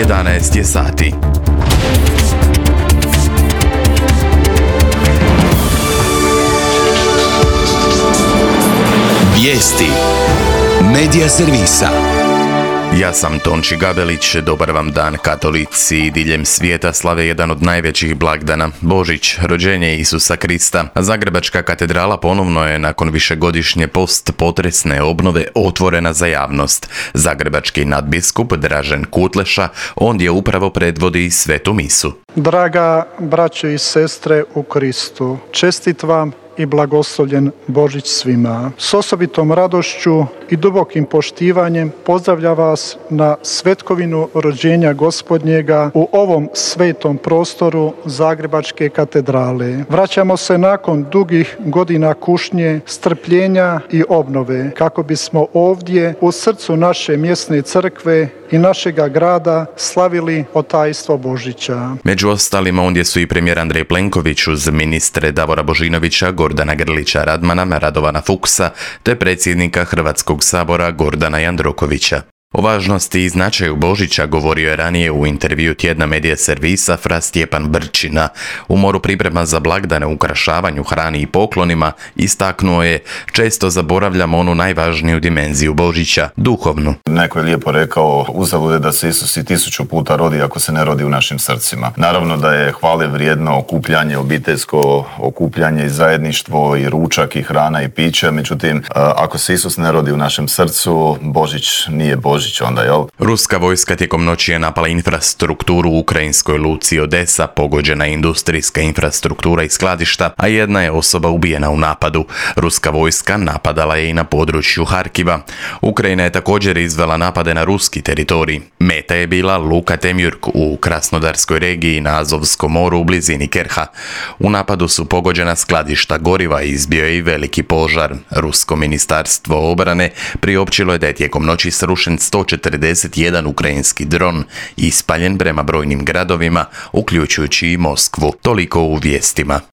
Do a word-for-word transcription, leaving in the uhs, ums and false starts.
jedanaest je sati. Vijesti Medija servisa. Ja sam Tonči Gabelić, dobar vam dan. Katolici diljem svijeta slave jedan od najvećih blagdana, Božić, rođenje Isusa Krista. Zagrebačka katedrala ponovno je nakon višegodišnje post-potresne obnove otvorena za javnost. Zagrebački nadbiskup Dražen Kutleša ondje upravo predvodi svetu misu. Draga braćo i sestre u Kristu, čestit vam i blagoslovljen Božić svima. S osobitom radošću i dubokim poštivanjem pozdravlja vas na svetkovinu rođenja Gospodnjega u ovom svetom prostoru Zagrebačke katedrale. Vraćamo se nakon dugih godina kušnje, strpljenja i obnove kako bismo ovdje u srcu naše mjesne crkve i našega grada slavili otajstvo Božića. Među ostalima ondje su i premijer Andrej Plenković uz ministre Davora Božinovića, Gordana Grlića Radmana, Radovana Fuchsa te predsjednika Hrvatskog sabora Gordana Jandrokovića. O važnosti i značaju Božića govorio je ranije u intervju tjedna Medija servisa fra Stjepan Brčina. U moru priprema za blagdane, ukrašavanju, hrani i poklonima istaknuo je: često zaboravljamo onu najvažniju dimenziju Božića, duhovnu. Neko je lijepo rekao, uzalud je da se Isus i tisuću puta rodi ako se ne rodi u našim srcima. Naravno da je hvale vrijedno okupljanje, obiteljsko okupljanje i zajedništvo i ručak i hrana i piće, međutim ako se Isus ne rodi u našem srcu, Božić nije Božić. Onda, jel? Ruska vojska tijekom noći je napala infrastrukturu u ukrajinskoj luci Odesa, pogođena je industrijska infrastruktura i skladišta, a jedna je osoba ubijena u napadu. Ruska vojska napadala je i na području Harkiva. Ukrajina je također izvela napade na ruski teritorij. Meta je bila luka Temjurk u Krasnodarskoj regiji na Azovskom moru u blizini Kerha. U napadu su pogođena skladišta goriva i izbio je i veliki požar. Rusko ministarstvo obrane priopćilo je da je tijekom noći srušen sto četrdeset jedan ukrajinski dron ispaljen prema brojnim gradovima, uključujući i Moskvu. Toliko u vijestima.